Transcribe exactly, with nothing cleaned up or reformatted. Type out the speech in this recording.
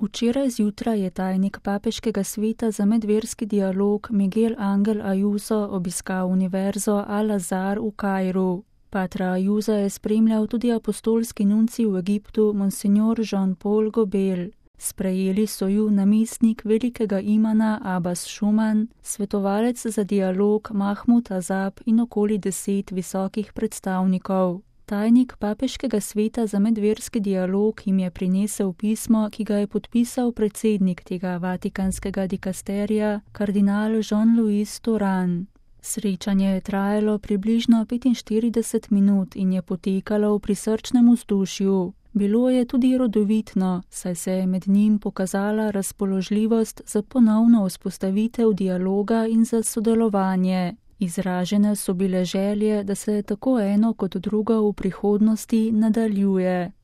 Včeraj zjutraj je tajnik Papeškega sveta za medverski dialog Miguel Angel Ayuso obiskal univerzo Al-Azhar v Kairu. Patra Ayusa je spremljal tudi apostolski nuncij v Egiptu Monsignor Jean-Paul Gobel. Sprejeli so ju namestnik velikega imana Abbas Schuman, svetovalec za dialog Mahmud Azab in okoli deset visokih predstavnikov. Tajnik Papeškega sveta za medverski dialog jim je prinesel pismo, ki ga je podpisal predsednik tega vatikanskega dikasterija, kardinal Jean-Louis Touran. Srečanje je trajalo približno petinštirideset minut in je potekalo v prisrčnem vzdušju. Bilo je tudi rodovitno, saj se je med njim pokazala razpoložljivost za ponovno vzpostavitev dialoga in za sodelovanje. Izražene so bile želje, da se tako eno kot drugo v prihodnosti nadaljuje.